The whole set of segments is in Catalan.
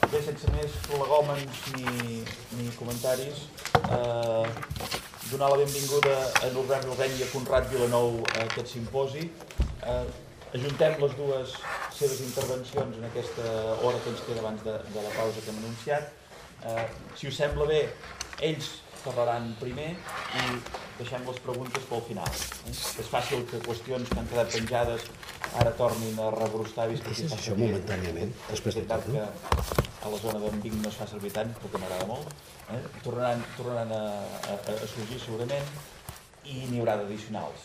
Bé, sense més prolegòmens ni comentaris, donar la benvinguda a Norbert Rubén i a Conrad Vilanou a aquest simposi. Ajuntem les dues seves intervencions en aquesta hora que ens queda abans de la pausa que hem anunciat. Si us sembla bé, ells parlaran primer i deixem les preguntes pel final. És fàcil que qüestions que han quedat penjades ara tornin a rebrostar. Deixes això momentàniament, després de tot, no? A la zona d'en Vic no es fa servir tant, però que m'agrada molt. Tornaran a sorgir segurament i n'hi haurà d'addicionals.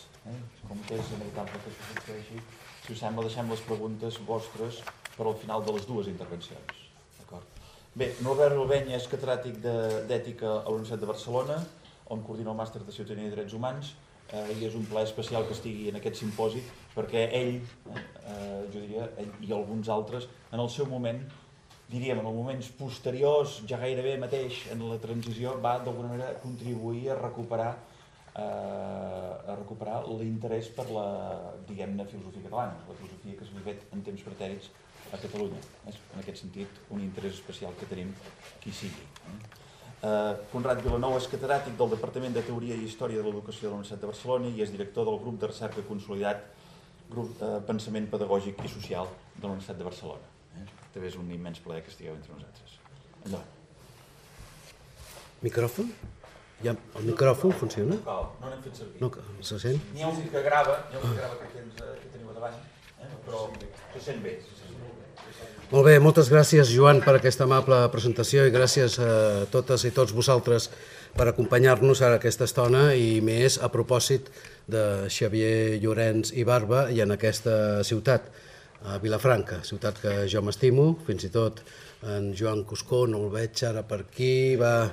Com que és inevitable que això succeeixi, si us sembla, deixem les preguntes vostres per al final de les dues intervencions. Bé, Norbert Rubén és catedràtic d'Ètica a la Universitat de Barcelona, on coordina el màster de Ciutadania i Drets Humans, i és un plaer especial que estigui en aquest simposi, perquè ell, jo diria, ell i alguns altres, en el seu moment, diríem, en els moments posteriors, ja gairebé mateix en la transició, va d'alguna manera contribuir a recuperar l'interès per la, diguem-ne, filosofia catalana, la filosofia que s'ha fet en temps pretèrits a Catalunya. És, en aquest sentit, un interès especial que tenim qui sigui. Conrad Vilanou és catedràtic del Departament de Teoria i Història de l'Educació de la Universitat de Barcelona i és director del grup de recerca consolidat, grup de pensament pedagògic i social de la Universitat de Barcelona. També és un immens plaer que estigueu entre nosaltres. Endavant. Micròfon? Ja, el micròfon funciona? No n'hem fet servir. No, se sent? N'hi ha un que grava, que teniu davant, però se sent bé. Molt bé, moltes gràcies, Joan, per aquesta amable presentació i gràcies a totes i tots vosaltres per acompanyar-nos a aquesta estona i més a propòsit de Xavier Llorens i Barba i en aquesta ciutat, a Vilafranca, ciutat que jo m'estimo, fins i tot en Joan Cuscó, no el veig ara per aquí, va...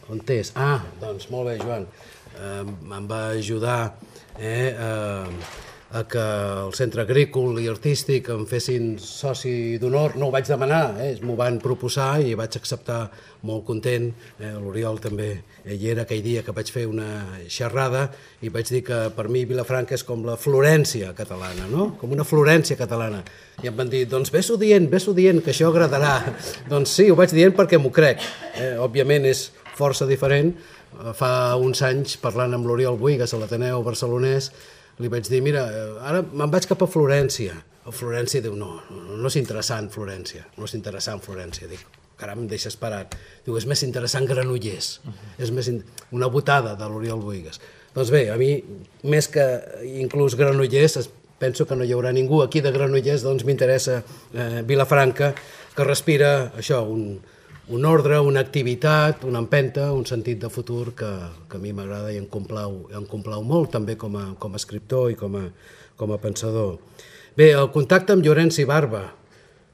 On és? Ah, doncs molt bé, Joan, em va ajudar a que el Centre Agrícola i Artístic em fessin soci d'honor. No ho vaig demanar, m'ho van proposar i vaig acceptar molt content. L'Oriol també hi era aquell dia que vaig fer una xerrada i vaig dir que per mi Vilafranca és com la Florència catalana, no? Com una Florència catalana. I em van dir, doncs ves-ho dient, que això agradarà. Doncs sí, ho vaig dient perquè m'ho crec. Òbviament és força diferent. Fa uns anys, parlant amb l'Oriol Buigas a l'Ateneu barcelonès, li vaig dir, mira, ara me'n vaig cap a Florència. A Florència diu, no és interessant Florència, no és interessant Florència. Dic, caram, em deixes parat. Diu, és més interessant Granollers. És més una botada de l'Oriol Buigas. Doncs bé, a mi, més que inclús Granollers, penso que no hi haurà ningú aquí de Granollers, doncs m'interessa Vilafranca, que respira això, un ordre, una activitat, una empenta, un sentit de futur que a mi m'agrada i em complau molt, també com a escriptor i com a pensador. Bé, el contacte amb Llorens i Barba.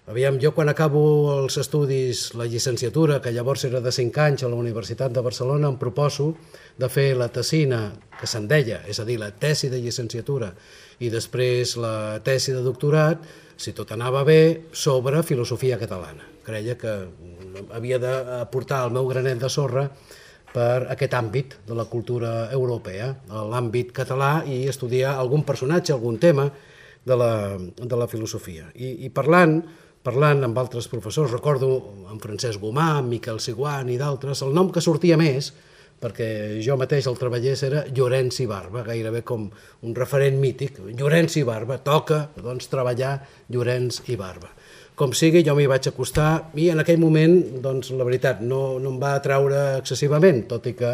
Aviam, jo quan acabo els estudis, la llicenciatura, que llavors era de 5 anys a la Universitat de Barcelona, em proposo de fer la tesina, que se'n deia, és a dir, la tesi de llicenciatura, i després la tesi de doctorat, si tot anava bé, sobre filosofia catalana. Creia que havia d'aportar el meu granet de sorra per aquest àmbit de la cultura europea, l'àmbit català, i estudiar algun personatge, algun tema de la filosofia. I parlant amb altres professors, recordo en Francesc Gomà, en Miquel Siguant i d'altres, el nom que sortia més, perquè jo mateix el treballés, era Llorens i Barba, gairebé com un referent mític. Llorens i Barba, toca doncs, treballar Llorens i Barba. Com sigui, jo m'hi vaig acostar i en aquell moment, doncs, la veritat, no em va atraure excessivament, tot i que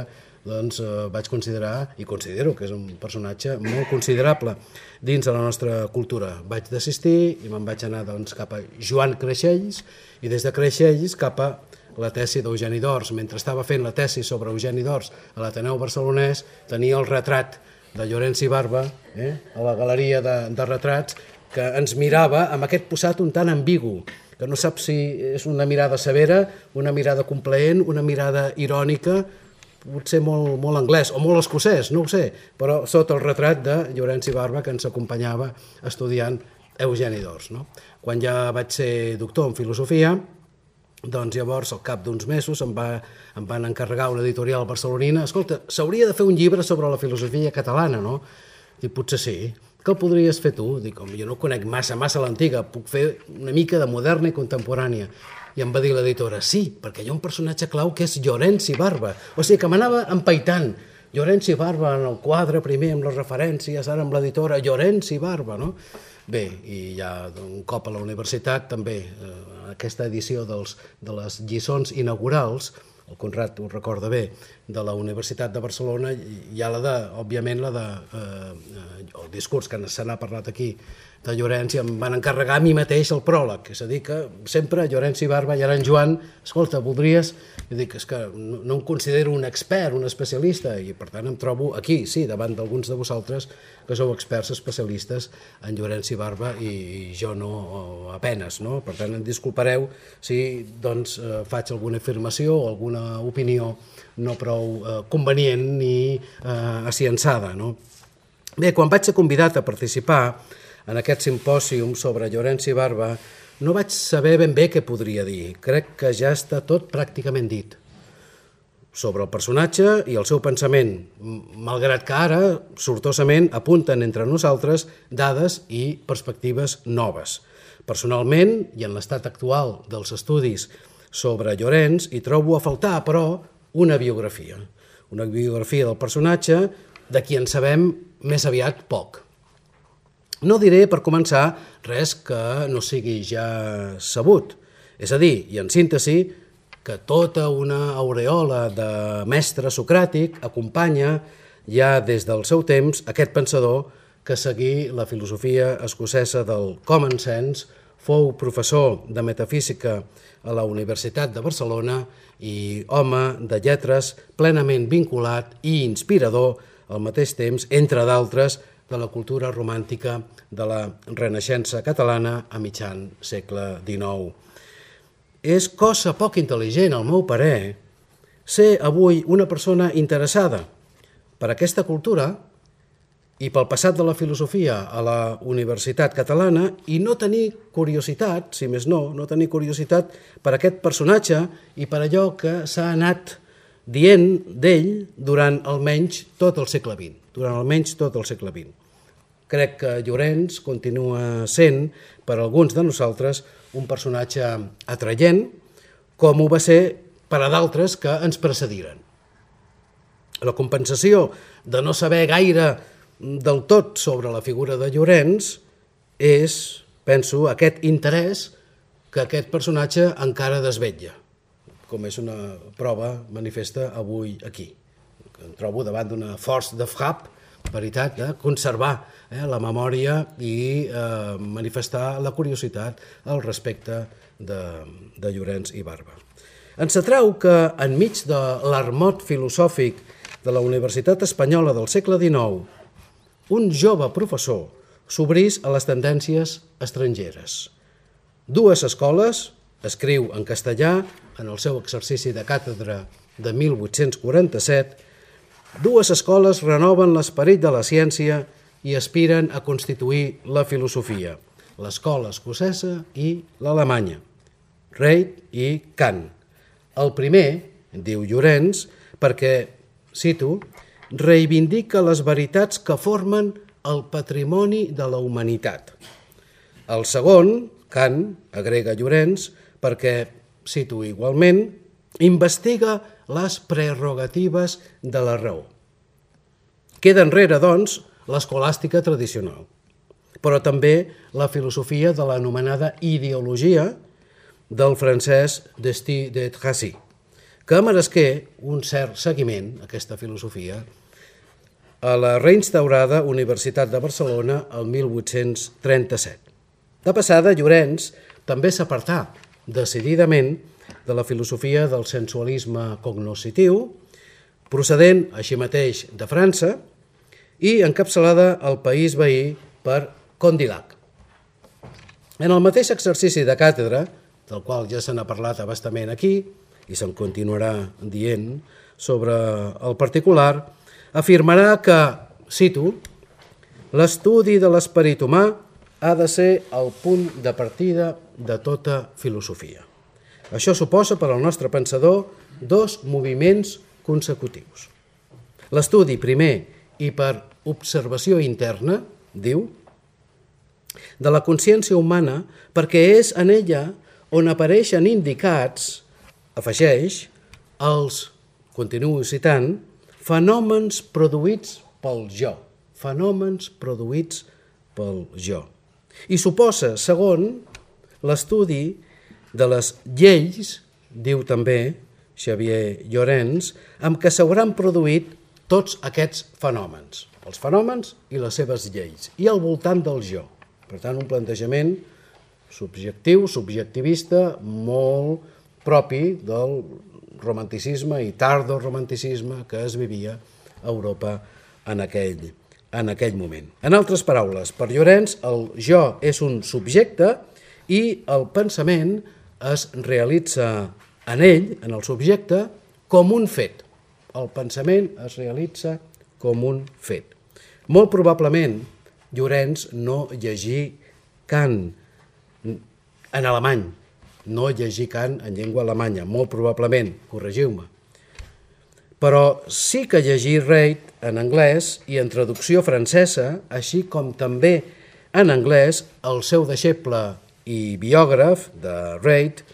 doncs, vaig considerar, i considero que és un personatge molt considerable dins de la nostra cultura. Vaig desistir i me'n vaig anar doncs, cap a Joan Creixells i des de Creixells cap a la tesi d'Eugeni d'Ors. Mentre estava fent la tesi sobre Eugeni d'Ors a l'Ateneu Barcelonès, tenia el retrat de Llorens i Barba a la galeria de retrats, que ens mirava amb aquest posat un tant ambigu, que no sap si és una mirada severa, una mirada complaent, una mirada irònica, potser molt anglès o molt escocès, no ho sé, però sota el retrat de Llorens i Barba que ens acompanyava estudiant Eugeni d'Ors. Quan ja vaig ser doctor en filosofia, doncs llavors, al cap d'uns mesos, em van encarregar una editorial barcelonina. Escolta, s'hauria de fer un llibre sobre la filosofia catalana, no? I potser sí. què el podries fer tu? Dic, home, jo no conec massa l'antiga, puc fer una mica de moderna i contemporània. I em va dir l'editora, sí, perquè hi ha un personatge clau que és Llorenç i Barba. O sigui, que m'anava empaitant. Llorenç i Barba en el quadre primer amb les referències, ara amb l'editora, Llorenç i Barba, no? Bé, i ja un cop a la universitat també, aquesta edició de les lliçons inaugurals, el Conrad ho recorda bé, de la Universitat de Barcelona, hi ha òbviament, el discurs que se n'ha parlat aquí de Llorenç, i em van encarregar a mi mateix el pròleg, és a dir, que sempre Llorenç i Barba, i ara en Joan, escolta, voldries... Jo dic, és que no em considero un expert, un especialista, i per tant em trobo aquí, sí, davant d'alguns de vosaltres que sou experts especialistes en Llorenç i Barba, i jo no, apenes, no? Per tant, em disculpareu si doncs faig alguna afirmació o alguna opinió no prou convenient ni aciençada, no? Bé, quan vaig ser convidat a participar en aquest simpòsium sobre Llorenç i Barba, no vaig saber ben bé què podria dir. Crec que ja està tot pràcticament dit sobre el personatge i el seu pensament, malgrat que ara, sortosament, apunten entre nosaltres dades i perspectives noves. Personalment, i en l'estat actual dels estudis sobre Llorenç, hi trobo a faltar, però, una biografia del personatge de qui en sabem més aviat poc. No diré, per començar, res que no sigui ja sabut. És a dir, i en síntesi, que tota una aureola de mestre socràtic acompanya ja des del seu temps aquest pensador que seguí la filosofia escocesa del common sense, fou professor de metafísica a la Universitat de Barcelona i home de lletres plenament vinculat i inspirador al mateix temps, entre d'altres, de la cultura romàntica de la Renaixença catalana a mitjan segle XIX. És cosa poc intel·ligent, al meu parer, ser avui una persona interessada per aquesta cultura i pel passat de la filosofia a la Universitat Catalana i no tenir curiositat, si més no, no tenir curiositat per aquest personatge i per allò que s'ha anat dient d'ell durant almenys tot el segle XX. Crec que Llorenç continua sent, per alguns de nosaltres, un personatge atraient, com ho va ser per a d'altres que ens precediren. La compensació de no saber gaire del tot sobre la figura de Llorenç és, penso, aquest interès que aquest personatge encara desvetlla, com és una prova manifesta avui aquí. Em trobo davant d'una force de frappe, veritat, de conservar la memòria i manifestar la curiositat al respecte de Llorenç i Barba. Ens atrau que, enmig de l'armot filosòfic de la Universitat Espanyola del segle XIX, un jove professor s'obrís a les tendències estrangeres. Dues escoles, escriu en castellà en el seu exercici de càtedra de 1847, dues escoles renoven l'esperit de la ciència i aspiren a constituir la filosofia, l'escola escocesa i l'alemanya, Reid i Kant. El primer, diu Llorenç, perquè, cito, reivindica les veritats que formen el patrimoni de la humanitat. El segon, Kant, agrega Llorenç, perquè, cito igualment, investiga les prerrogatives de la raó. Queda enrere, doncs, l'escolàstica tradicional, però també la filosofia de l'anomenada ideologia del francès Destí de Tracy, que meresqué un cert seguiment, aquesta filosofia, a la reinstaurada Universitat de Barcelona el 1837. De passada, Llorenç també s'apartà decididament de la filosofia del sensualisme cognoscitiu, procedent així mateix de França i encapçalada al país veí per Condillac. En el mateix exercici de càtedra, del qual ja se n'ha parlat a bastament aquí, i se'n continuarà dient sobre el particular, afirmarà que, cito, l'estudi de l'esperit humà ha de ser el punt de partida de tota filosofia. Això suposa per al nostre pensador dos moviments consecutius. L'estudi primer i per observació interna diu, de la consciència humana perquè és en ella on apareixen indicats, afegeix, els, continuo citant, fenòmens produïts pel jo. Fenòmens produïts pel jo. I suposa, segon, l'estudi de les lleis, diu també Xavier Llorens, amb què s'hauran produït tots aquests fenòmens, els fenòmens i les seves lleis, i al voltant del jo. Per tant, un plantejament subjectiu, subjectivista, molt propi del romanticisme i tardoromanticisme que es vivia a Europa en aquell moment. En altres paraules, per Llorens, el jo és un subjecte i el pensament es realitza en ell, en el subjecte, com un fet. El pensament es realitza com un fet. Molt probablement, Llorens no llegí Kant en alemany, no llegí Kant en llengua alemanya, molt probablement, corregiu-me. Però sí que llegí Reid en anglès i en traducció francesa, així com també en anglès el seu deixeble i biògraf de Reid,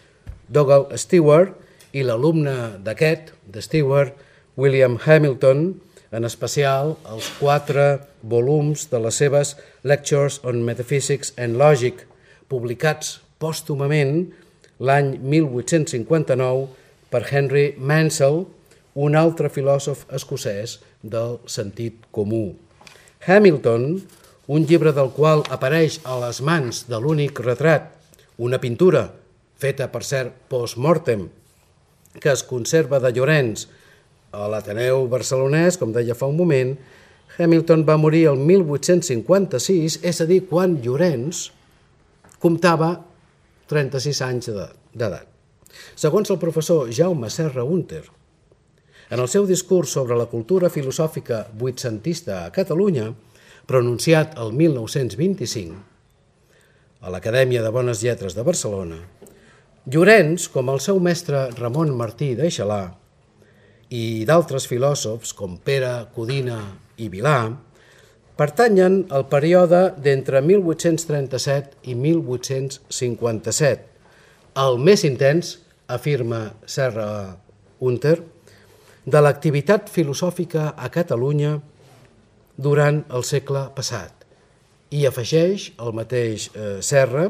Dougal Stewart, i l'alumne d'aquest, de Stewart, William Hamilton, en especial els 4 volums de les seves Lectures on Metaphysics and Logic, publicats pòstumament l'any 1859 per Henry Mansell, un altre filòsof escocès del sentit comú. Hamilton, un llibre del qual apareix a les mans de l'únic retrat, una pintura feta, per cert, post-mortem, que es conserva de Llorens a l'Ateneu barcelonès, com deia fa un moment, Hamilton va morir el 1856, és a dir, quan Llorens comptava 36 anys d'edat. Segons el professor Jaume Serra Hunter, en el seu discurs sobre la cultura filosòfica vuitcentista a Catalunya, pronunciat el 1925, a l'Acadèmia de Bones Lletres de Barcelona, Llorens, com el seu mestre Ramon Martí d'Eixalà i d'altres filòsofs com Pere Codina i Vilà, pertanyen al període d'entre 1837 i 1857, el més intens, afirma Serra Hunter, de l'activitat filosòfica a Catalunya durant el segle passat. I afegeix el mateix Serra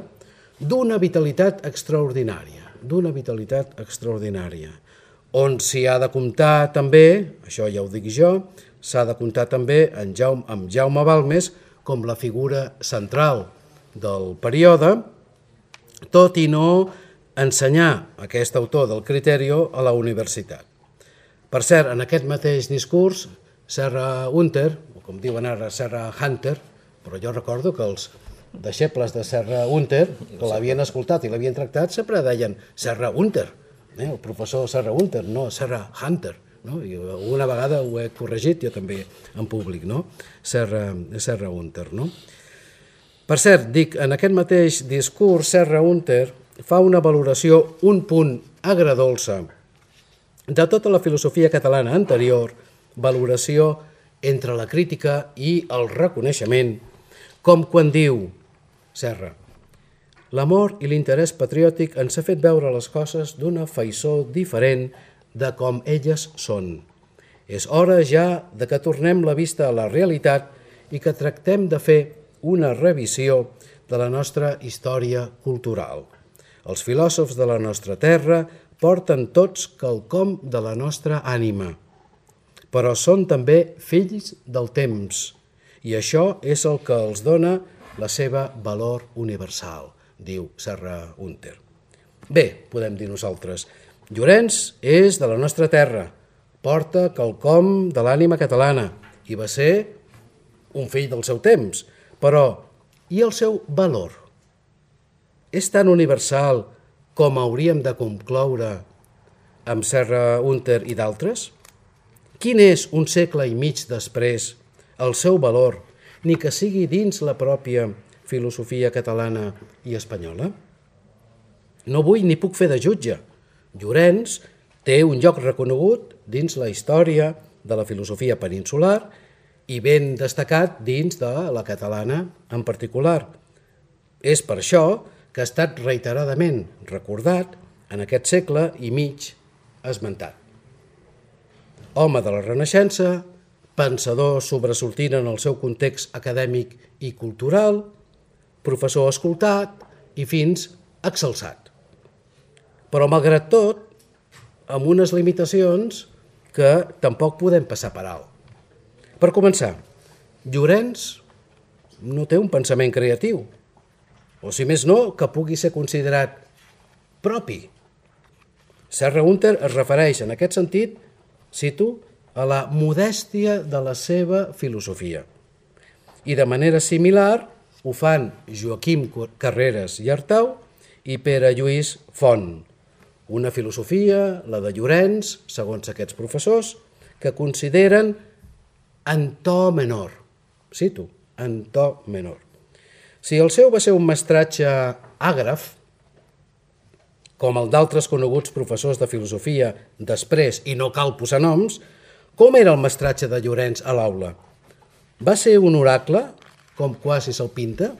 d'una vitalitat extraordinària, on s'hi ha de comptar també, això ja ho dic jo, s'ha de comptar també amb Jaume Balmes com la figura central del període, tot i no ensenyar aquest autor del Criterio a la universitat. Per cert, en aquest mateix discurs, Serra Hunter, o com diuen ara Serra Hunter, però jo recordo que els deixebles de Serra Hunter, que l'havien escoltat i l'havien tractat, sempre deien Serra Hunter, el professor Serra Hunter, no Serra Hunter. I una vegada ho he corregit jo també en públic, Serra Hunter. Per cert, dic, en aquest mateix discurs, Serra Hunter fa una valoració, un punt agredolça, de tota la filosofia catalana anterior, valoració entre la crítica i el reconeixement, com quan diu Serra: l'amor i l'interès patriòtic ens ha fet veure les coses d'una faissó diferent de com elles són. És hora ja de que tornem la vista a la realitat i que tractem de fer una revisió de la nostra història cultural. Els filòsofs de la nostra terra porten tots quelcom de la nostra ànima, però són també fills del temps, i això és el que els dona la seva valor universal, diu Serra Hunter. Bé, podem dir nosaltres, Llorens és de la nostra terra, porta quelcom de l'ànima catalana i va ser un fill del seu temps, però i el seu valor? És tan universal com hauríem de concloure amb Serra Hunter i d'altres? Quin és, un segle i mig després, el seu valor, ni que sigui dins la pròpia filosofia catalana i espanyola? No vull ni puc fer de jutge. Llorens té un lloc reconegut dins la història de la filosofia peninsular i ben destacat dins de la catalana en particular. És per això que ha estat reiteradament recordat en aquest segle i mig esmentat. Home de la Renaixença, pensador sobresortint en el seu context acadèmic i cultural, professor escoltat i fins exalçat. Però, malgrat tot, amb unes limitacions que tampoc podem passar per alt. Per començar, Llorenç no té un pensament creatiu, o si més no, que pugui ser considerat propi. Serra Húnter es refereix en aquest sentit, cito, a la modèstia de la seva filosofia. I de manera similar ho fan Joaquim Carreras i Artau i Pere Lluís Font. Una filosofia, la de Llorenç, segons aquests professors, que consideren en to menor. Cito, en to menor. Si el seu va ser un mestratge àgraf, com el d'altres coneguts professors de filosofia després, i no cal posar noms, com era el mestratge de Llorenç a l'aula? Va ser un oracle, com quasi se'l pinta?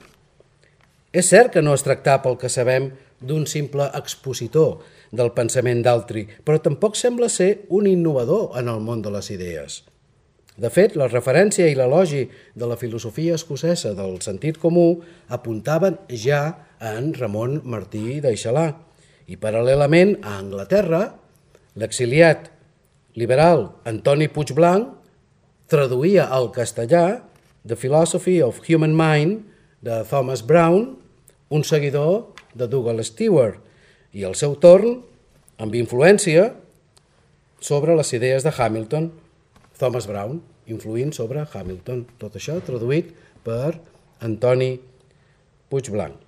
És cert que no es tractava, pel que sabem, d'un simple expositor del pensament d'altri, però tampoc sembla ser un innovador en el món de les idees. De fet, la referència i l'elogi de la filosofia escocesa del sentit comú apuntaven ja en Ramon Martí d'Aixelà i, paral·lelament, a Anglaterra, l'exiliat liberal Antoni Puigblanch traduïa al castellà The Philosophy of Human Mind de Thomas Brown, un seguidor de Douglas Stewart, i al seu torn, amb influència sobre les idees de Hamilton, Thomas Brown, influint sobre Hamilton. Tot això traduït per Antoni Puigblanch.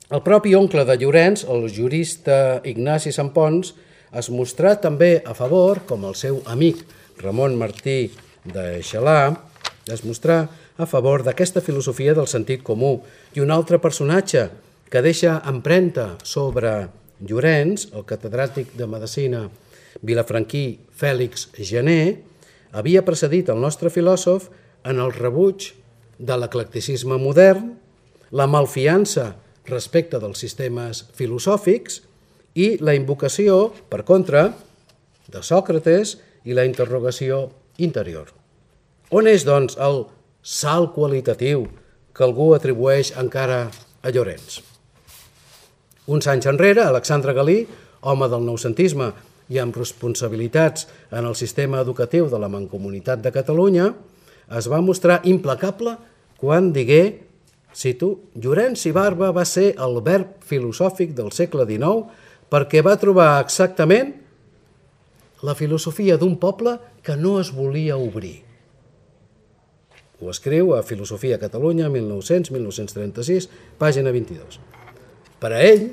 El propi oncle de Llorenç, el jurista Ignasi Sampons, es mostrà també a favor, com el seu amic Ramon Martí d'Aixelà, es mostrà a favor d'aquesta filosofia del sentit comú. I un altre personatge que deixa empremta sobre Llorenç, el catedràtic de Medicina vilafranquí Fèlix Janer, havia precedit el nostre filòsof en el rebuig de l'eclecticisme modern, la malfiança respecte dels sistemes filosòfics i la invocació, per contra, de Sòcrates i la interrogació interior. On és, doncs, el salt qualitatiu que algú atribueix encara a Llorenç? Uns anys enrere, Alexandre Galí, home del noucentisme i amb responsabilitats en el sistema educatiu de la Mancomunitat de Catalunya, es va mostrar implacable quan digué, cito, Llorenç i Barba va ser el verb filosòfic del segle XIX perquè va trobar exactament la filosofia d'un poble que no es volia obrir. Ho escriu a Filosofia a Catalunya, 1900-1936, pàgina 22. Per a ell,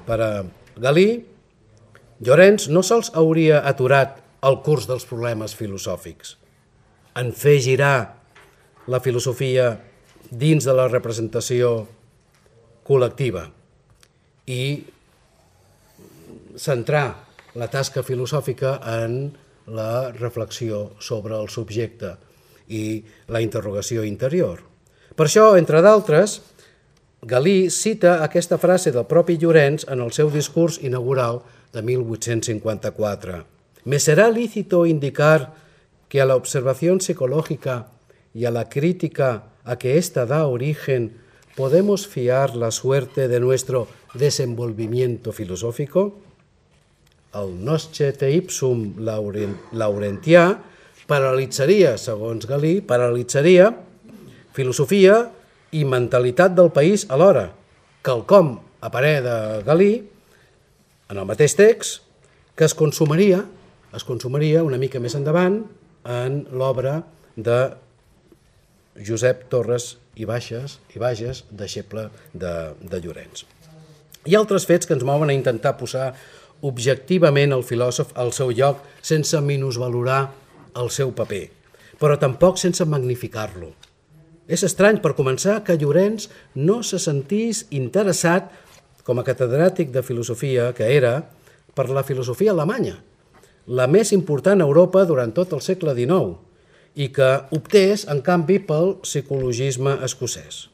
per a Galí, Llorenç no sols hauria aturat el curs dels problemes filosòfics, en fer girar la filosofia dins de la representació col·lectiva i centrar la tasca filosòfica en la reflexió sobre el subjecte i la interrogació interior. Per això, entre d'altres, Galí cita aquesta frase del propi Llorenç en el seu discurs inaugural de 1854. Me será lícito indicar que a la observación psicológica y a la crítica a que ésta da origen podemos fiar la suerte de nuestro desenvolvimiento filosófico? El noscete ipsum laurentià paralitzaria, segons Galí, paralitzaria filosofia i mentalitat del país alhora, quelcom, a parer de Galí, en el mateix text, que es consumaria una mica més endavant en l'obra de Josep Torres i Bages, deixeble de Llorenç. Hi ha altres fets que ens mouen a intentar posar objectivament el filòsof al seu lloc sense minusvalorar el seu paper, però tampoc sense magnificar-lo. És estrany, per començar, que Llorenç no se sentís interessat, com a catedràtic de filosofia que era, per la filosofia alemanya, la més important a Europa durant tot el segle XIX, i que optés, en canvi, pel psicologisme escocès.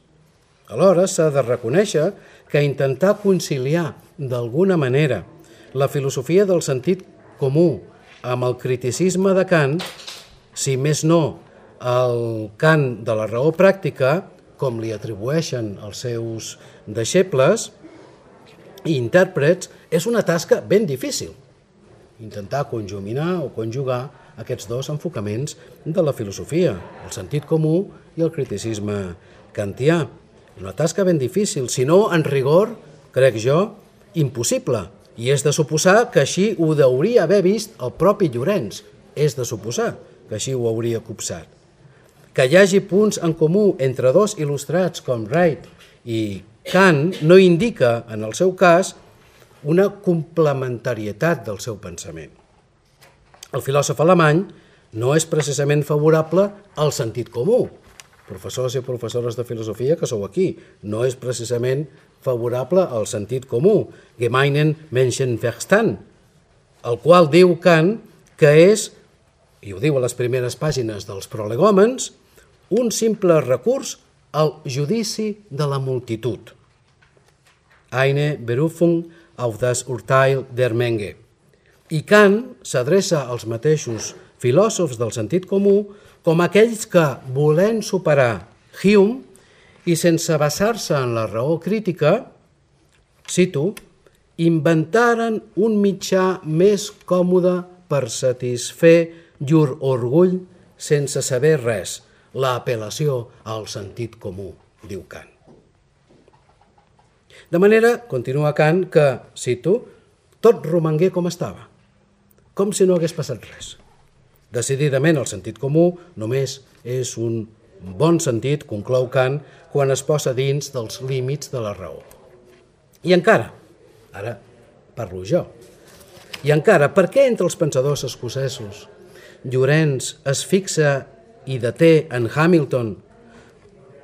Alhora, s'ha de reconèixer que intentar conciliar, d'alguna manera, la filosofia del sentit comú amb el criticisme de Kant, si més no el Kant de la raó pràctica, com li atribueixen els seus deixebles i intèrprets, és una tasca ben difícil. Intentar conjuminar o conjugar aquests dos enfocaments de la filosofia, el sentit comú i el criticisme kantià. Una tasca ben difícil, si no, en rigor, crec jo, impossible. I és de suposar que així ho hauria haver vist el propi Llorenç. És de suposar que així ho hauria copsat. Que hi hagi punts en comú entre dos il·lustrats com Wright i Kant no indica, en el seu cas, una complementarietat del seu pensament. El filòsof alemany no és precisament favorable al sentit comú. Professors i professores de filosofia que sou aquí, no és precisament favorable al sentit comú, gemeinen Menschenverstand, el qual diu Kant que és, i ho diu a les primeres pàgines dels prolegòmens, un simple recurs al judici de la multitud. Eine Berufung auf das Urteil der Menge. I Kant s'adreça als mateixos filòsofs del sentit comú com aquells que, volent superar Hume i sense basar-se en la raó crítica, cito, inventaren un mitjà més còmode per satisfer llur orgull sense saber res, l'apel·lació al sentit comú, diu Kant. De manera, continua Kant, que, cito, tot romangué com estava, com si no hagués passat res. Decididament, el sentit comú només és un bon sentit, conclou Kant, quan es posa dins dels límits de la raó. I encara, ara parlo jo, i encara, per què entre els pensadors escocesos Llorenç es fixa i deté en Hamilton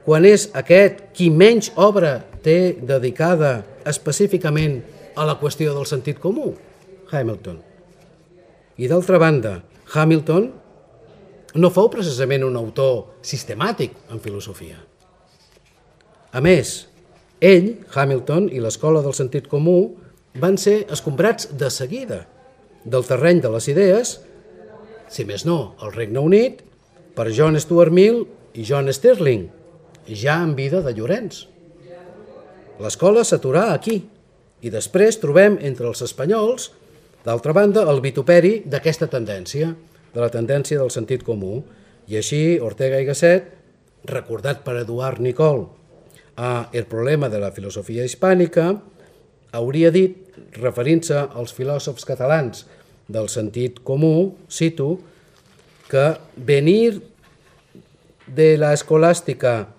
quan és aquest qui menys obra té dedicada específicament a la qüestió del sentit comú? Hamilton. I d'altra banda, Hamilton no fou precisament un autor sistemàtic en filosofia. A més, ell, Hamilton i l'escola del sentit comú van ser escombrats de seguida del terreny de les idees, si més no, al Regne Unit, per John Stuart Mill i John Stirling, ja en vida de Llorenç. L'escola s'aturà aquí i després trobem entre els espanyols, d'altra banda, el vituperi d'aquesta tendència, de la tendència del sentit comú. I així, Ortega y Gasset, recordat per Eduard Nicol a El problema de la filosofia hispànica, hauria dit, referint-se als filòsofs catalans del sentit comú, cito, que venir de la escolástica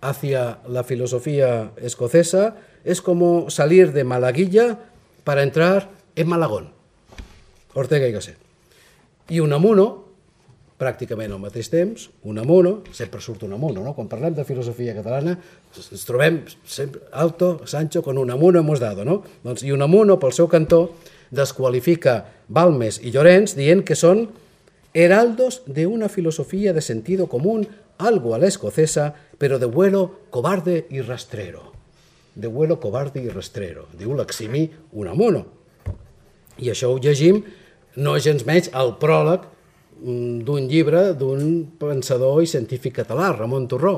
hacia la filosofía escocesa es como salir de Malaguilla para entrar en Malagón. Ortega y Gasset. I Unamuno, pràcticament al mateix temps, Unamuno, sempre surt Unamuno, no? Quan parlem de filosofia catalana ens trobem sempre Alto, Sancho, con Unamuno hemos dado, no? Doncs, i Unamuno, pel seu cantó, desqualifica Balmes i Llorenç dient que són heraldos de una filosofía de sentido común, algo a la escocesa, pero de vuelo cobarde y rastrero. De vuelo cobarde y rastrero, diu l'eximi Unamuno. I això ho llegim no gens menys al pròleg d'un llibre d'un pensador i científic català, Ramon Torró,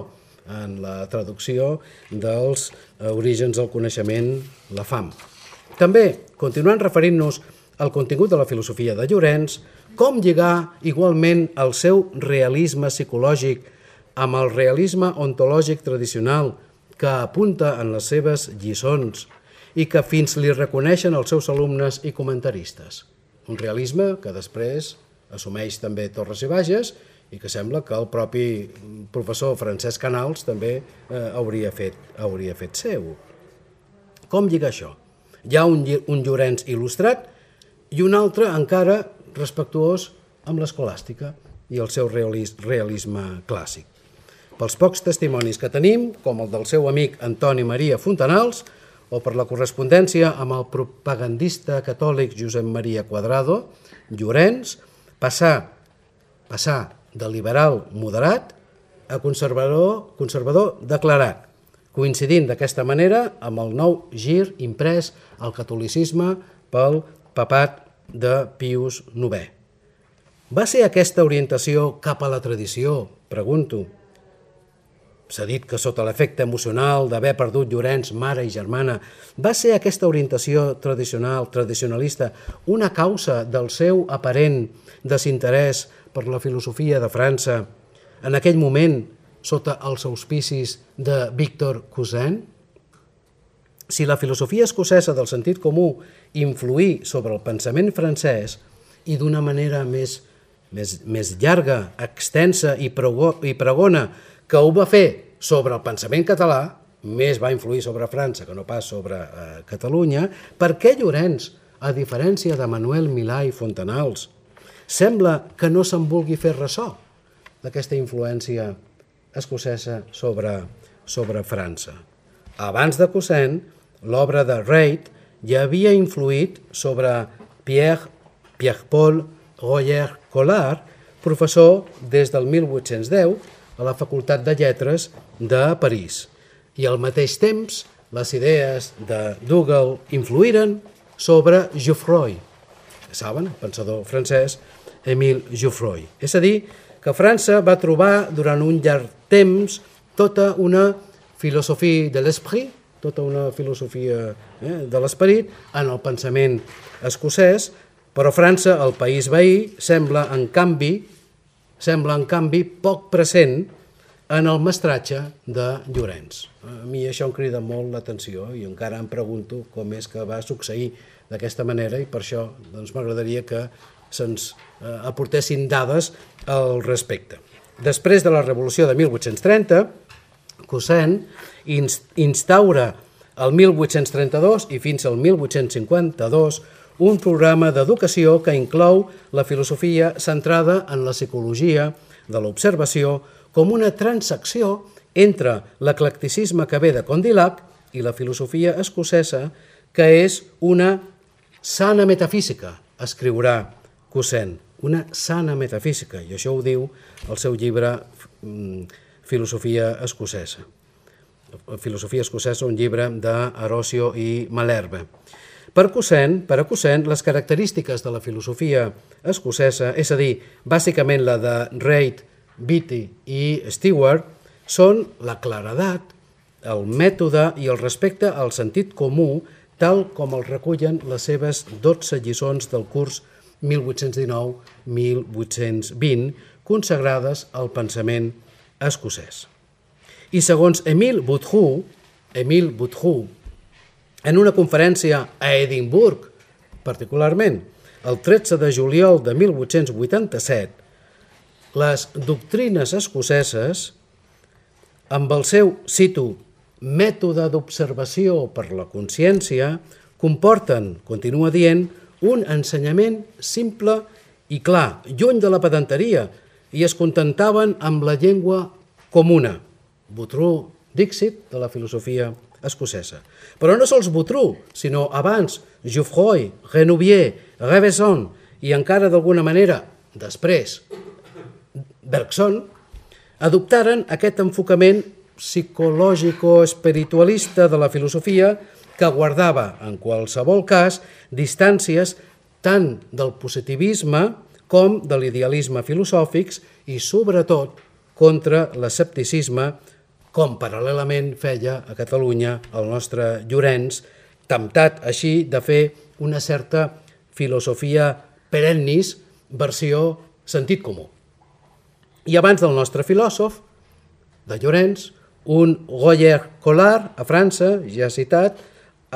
en la traducció dels Orígens del coneixement, la FAM. També, continuant referint-nos al contingut de la filosofia de Llorenç, com lligar igualment el seu realisme psicològic amb el realisme ontològic tradicional que apunta en les seves lliçons i que fins li reconeixen els seus alumnes i comentaristes. Un realisme que després assumeix també Torres i Bages i que sembla que el propi professor Francesc Canals també hauria fet seu. Com lligar això? Hi ha un Llorenç il·lustrat i un altre encara respectuós amb l'escolàstica i el seu realisme clàssic. Pels pocs testimonis que tenim, com el del seu amic Antoni Maria Fontanals, o per la correspondència amb el propagandista catòlic Josep Maria Cuadrado, Llorenç passà de liberal moderat a conservador declarat, coincidint d'aquesta manera amb el nou gir imprès al catolicisme pel papat de Pius IX. Va ser aquesta orientació cap a la tradició? Pregunto. S'ha dit que sota l'efecte emocional d'haver perdut Llorenç, mare i germana, va ser aquesta orientació tradicionalista una causa del seu aparent desinterès per la filosofia de França en aquell moment sota els auspicis de Victor Cousin? Si la filosofia escocesa del sentit comú influí sobre el pensament francès i d'una manera més llarga, extensa i pregona que ho va fer sobre el pensament català, més va influir sobre França que no pas sobre Catalunya, per què Llorenç, a diferència de Manuel Milà i Fontanals, sembla que no se'n vulgui fer ressò d'aquesta influència escocesa sobre França? Abans de Cousin, l'obra de Reid ja havia influït sobre Pierre-Paul Royer-Collard, professor des del 1810 a la Facultat de Lletres de París. I al mateix temps, les idees de Dougal influïren sobre Jouffroy, saben, el pensador francès Émile Jouffroy. És a dir, que França va trobar durant un llarg temps tota una filosofia de l'esprit, tota una filosofia de l'esperit en el pensament escocès, però França, el país veí, sembla en canvi poc present en el mestratge de Llorenç. A mi això em crida molt l'atenció i encara em pregunto com és que va succeir d'aquesta manera i per això m'agradaria que se'ns aportessin dades al respecte. Després de la Revolució de 1830, Cousin instaura el 1832 i fins al 1852 un programa d'educació que inclou la filosofia centrada en la psicologia de l'observació com una transacció entre l'eclecticisme que ve de Condillac i la filosofia escocesa, que és una sana metafísica, escriurà Cousin, una sana metafísica, i això ho diu el seu llibre Filosofia escocesa. Filosofia escocesa, un llibre d'Arosio i Malherbe. Per a Cousin, les característiques de la filosofia escocesa, és a dir, bàsicament la de Reid, Beattie i Stewart, són la claredat, el mètode i el respecte al sentit comú, tal com el recullen les seves 12 lliçons del curs 1819-1820, consagrades al pensament escocès. I segons Émile Boutroux, en una conferència a Edimburg, particularment, el 13 de juliol de 1887, les doctrines escoceses, amb el seu, cito, mètode d'observació per la consciència, comporten, continua dient, un ensenyament simple i clar, lluny de la pedanteria, i es contentaven amb la llengua comuna. Boutroux Dixit, de la filosofia escocesa. Però no sols Boutroux, sinó abans Jouffroy, Renouvier, Revesson i encara d'alguna manera, després, Bergson, adoptaren aquest enfocament psicològico-espiritualista de la filosofia que guardava, en qualsevol cas, distàncies tant del positivisme com de l'idealisme filosòfics i, sobretot, contra l'escepticisme, com paral·lelament feia a Catalunya el nostre Llorenç, temptat així de fer una certa filosofia perennis versió sentit comú. I abans del nostre filòsof, de Llorenç, un Royer-Collard, a França, ja citat,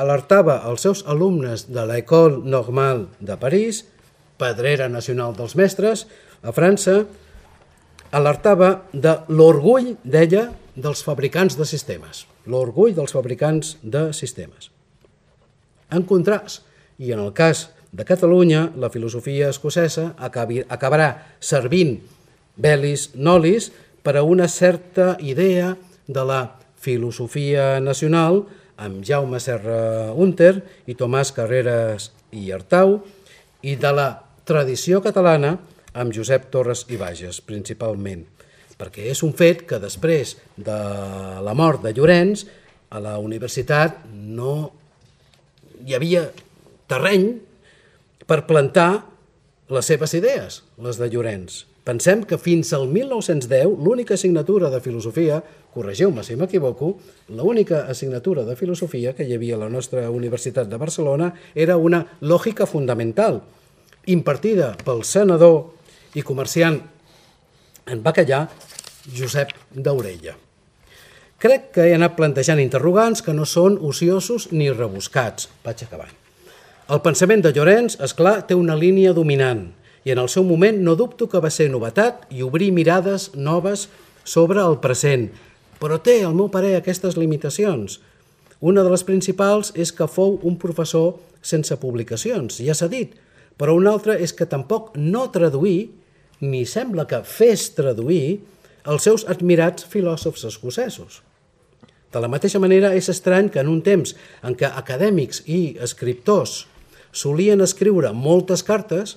alertava els seus alumnes de l'École Normale de París, pedrera nacional dels mestres, a França, alertava de l'orgull, deia, dels fabricants de sistemes. L'orgull dels fabricants de sistemes. En contrast, i en el cas de Catalunya, la filosofia escocesa acabarà servint velis nolis per a una certa idea de la filosofia nacional amb Jaume Serra Hunter i Tomàs Carreras i Artau i de la tradició catalana amb Josep Torres i Bages, principalment, perquè és un fet que després de la mort de Llorenç, a la universitat no hi havia terreny per plantar les seves idees, les de Llorenç. Pensem que fins al 1910 l'única assignatura de filosofia, corregiu-me si m'equivoco, l'única assignatura de filosofia que hi havia a la nostra Universitat de Barcelona era una lògica fundamental, impartida pel senador i comerciant en bacallà Josep d'Aurella. Crec que he anat plantejant interrogants que no són ociosos ni rebuscats. Vaig acabant. El pensament de Llorenç, esclar, té una línia dominant i en el seu moment no dubto que va ser novetat i obrir mirades noves sobre el present, però té, al meu parer, aquestes limitacions. Una de les principals és que fou un professor sense publicacions, ja s'ha dit, però una altra és que tampoc no traduí, ni sembla que fes traduir, els seus admirats filòsofs escocesos. De la mateixa manera, és estrany que en un temps en què acadèmics i escriptors solien escriure moltes cartes,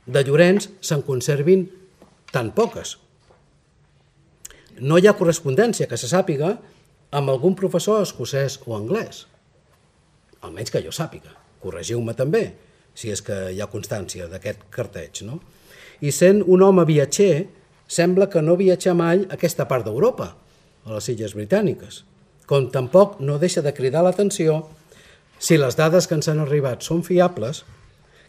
de Llorenç se'n conservin tan poques. No hi ha correspondència que se sàpiga amb algun professor escocès o anglès, almenys que jo sàpiga. Corregiu-me també, si és que hi ha constància d'aquest carteig, no? I sent un home viatger, sembla que no viatjà mai a aquesta part d'Europa, a les Illes Britàniques, com tampoc no deixa de cridar l'atenció, si les dades que ens han arribat són fiables,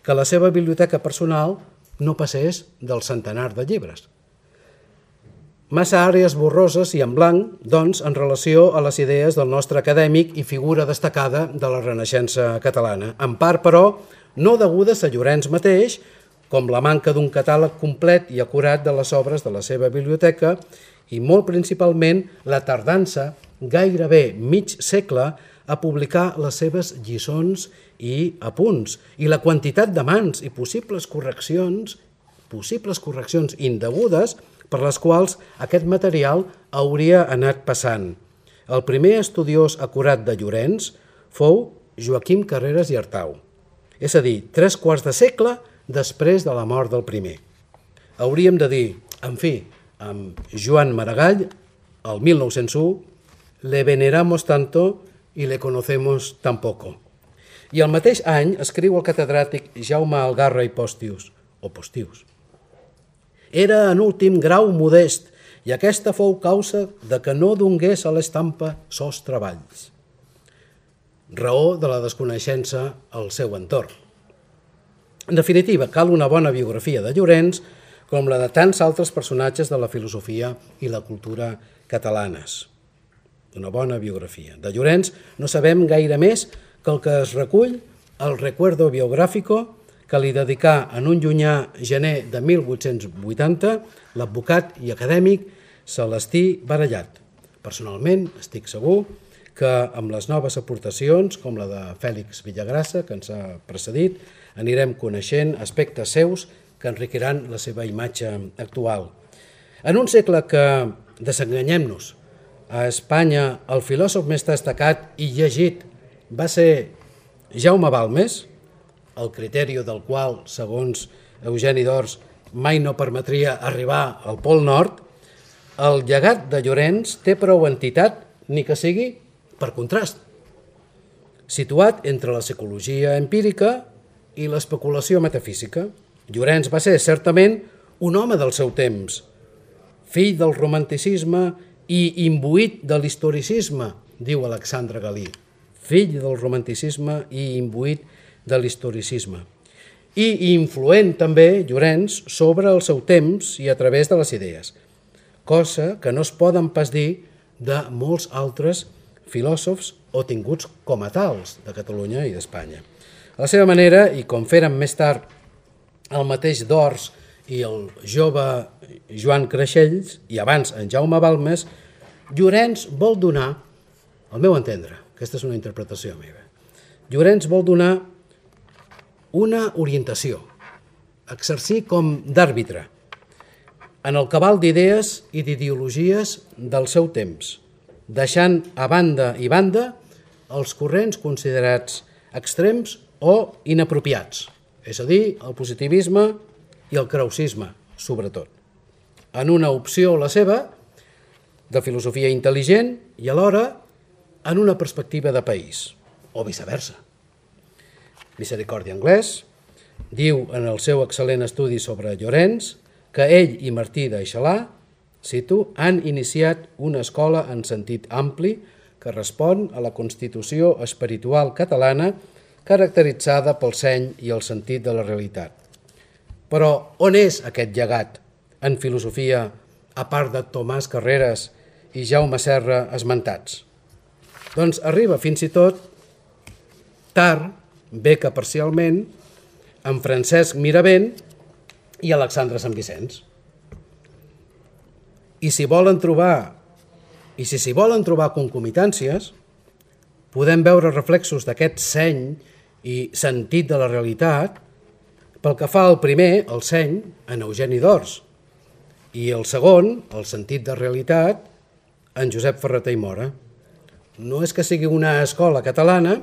que la seva biblioteca personal no passés del centenar de llibres. Massa àrees borroses i en blanc, doncs, en relació a les idees del nostre acadèmic i figura destacada de la Renaixença catalana. En part, però, no degudes a Llorenç mateix, com la manca d'un catàleg complet i acurat de les obres de la seva biblioteca i molt principalment la tardança, gairebé mig segle, a publicar les seves lliçons i apunts i la quantitat de mans i possibles correccions indegudes per les quals aquest material hauria anat passant. El primer estudiós acurat de Llorenç fou Joaquim Carreras i Artau, és a dir, 3/4 de segle després de la mort del primer. Hauríem de dir, en fi, amb Joan Maragall, el 1901, le veneramos tanto y le conocemos tan poco. I el mateix any escriu el catedràtic Jaume Algarra i Postius, o Postius. Era en últim grau modest i aquesta fou causa de que no dongués a l'estampa sos treballs. Raó de la desconeixença al seu entorn. En definitiva, cal una bona biografia de Llorenç com la de tants altres personatges de la filosofia i la cultura catalanes. Una bona biografia. De Llorenç no sabem gaire més que el que es recull al Recuerdo Biográfico que li dedicà en un llunyà gener de 1880 l'advocat i acadèmic Celestí Barallat. Personalment estic segur que amb les noves aportacions, com la de Fèlix Villagrassa, que ens ha precedit, anirem coneixent aspectes seus que enriquiran la seva imatge actual. En un segle que, desenganyem-nos, a Espanya el filòsof més destacat i llegit va ser Jaume Balmes, el criteri del qual, segons Eugeni d'Ors, mai no permetria arribar al Pol Nord, el llegat de Llorenç té prou entitat, ni que sigui per contrast, situat entre la psicologia empírica i l'especulació metafísica. Llorenç va ser, certament, un home del seu temps, fill del romanticisme i imbuït de l'historicisme, diu Alexandre Galí, fill del romanticisme i imbuït de l'historicisme. I influent també, Llorenç, sobre el seu temps i a través de les idees, cosa que no es poden pas dir de molts altres filòsofs o tinguts com a tals de Catalunya i d'Espanya. A la seva manera, i com feren més tard el mateix d'Ors i el jove Joan Creixells, i abans en Jaume Balmes, Llorenç vol donar, al meu entendre, aquesta és una interpretació meva, Llorenç vol donar una orientació, exercir com d'àrbitre, en el cabal d'idees i d'ideologies del seu temps, deixant a banda i banda els corrents considerats extrems o inapropiats, és a dir, el positivisme i el krausisme, sobretot, en una opció, la seva, de filosofia intel·ligent i alhora en una perspectiva de país, o viceversa. Misericòrdia Anglès diu en el seu excel·lent estudi sobre Llorenç que ell i Martí d'Aixelà, cito, han iniciat una escola en sentit ampli que respon a la constitució espiritual catalana caracteritzada pel seny i el sentit de la realitat. Però on és aquest llegat en filosofia a part de Tomàs Carreras i Jaume Serra esmentats? Doncs arriba fins i tot tard, bé que parcialment, amb Francesc Miravent i Alexandre Sant Vicenç. I si s'hi volen trobar concomitàncies, podem veure reflexos d'aquest seny i sentit de la realitat pel que fa al primer, el seny, en Eugeni d'Ors, i el segon, el sentit de realitat, en Josep Ferrater i Mora. No és que sigui una escola catalana,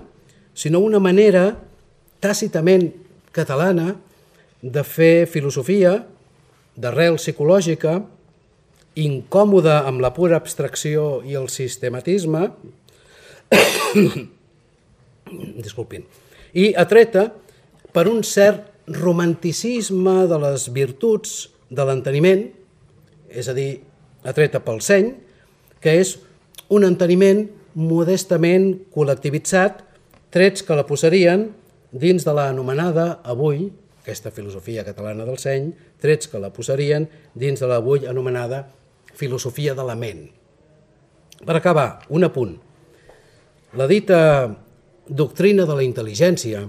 sinó una manera tàcitament catalana de fer filosofia d'arrel psicològica, incòmoda amb la pura abstracció i el sistematisme, disculpin, i atreta per un cert romanticisme de les virtuts de l'enteniment, és a dir, atreta pel seny, que és un enteniment modestament col·lectivitzat, trets que la posarien dins de l'anomenada avui, aquesta filosofia catalana del seny, trets que la posarien dins de l'avui anomenada filosofia de la ment. Per acabar, un apunt. La dita doctrina de la intel·ligència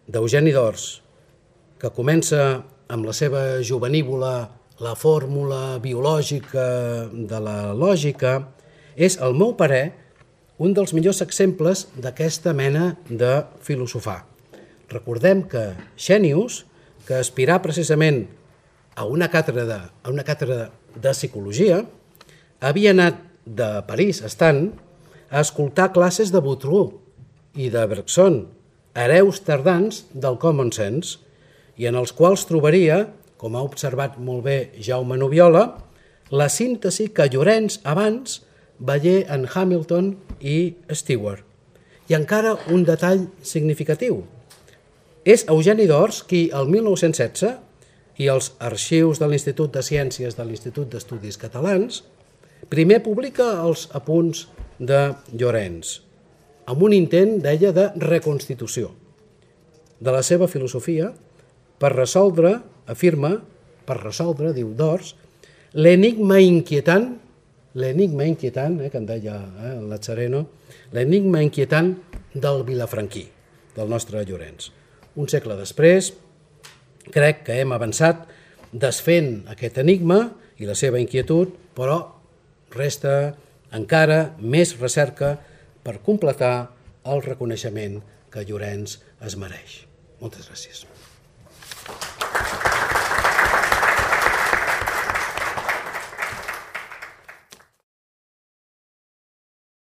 d'Eugeni d'Ors, que comença amb la seva jovenívola la fórmula biològica de la lògica, és, al meu parer, un dels millors exemples d'aquesta mena de filosofar. Recordem que Xènius, que aspirà precisament a una càtedra de psicologia, havia anat de París, estant, a escoltar classes de Boutroux i de Bergson, hereus tardans del common sense, i en els quals trobaria, com ha observat molt bé Jaume Nubiola, la síntesi que Llorenç abans veié en Hamilton i Stewart. I encara un detall significatiu. És Eugeni d'Ors qui, el 1916, i els arxius de l'Institut de Ciències de l'Institut d'Estudis Catalans, primer publica els apunts de Llorenç, amb un intent, deia, de reconstitució de la seva filosofia per resoldre, afirma, diu d'Ors, l'enigma inquietant, que en deia el Lazzareno, l'enigma inquietant del vilafranquí, del nostre Llorenç. Un segle després, crec que hem avançat desfent aquest enigma i la seva inquietud, però resta encara més recerca per completar el reconeixement que Llorenç es mereix. Moltes gràcies.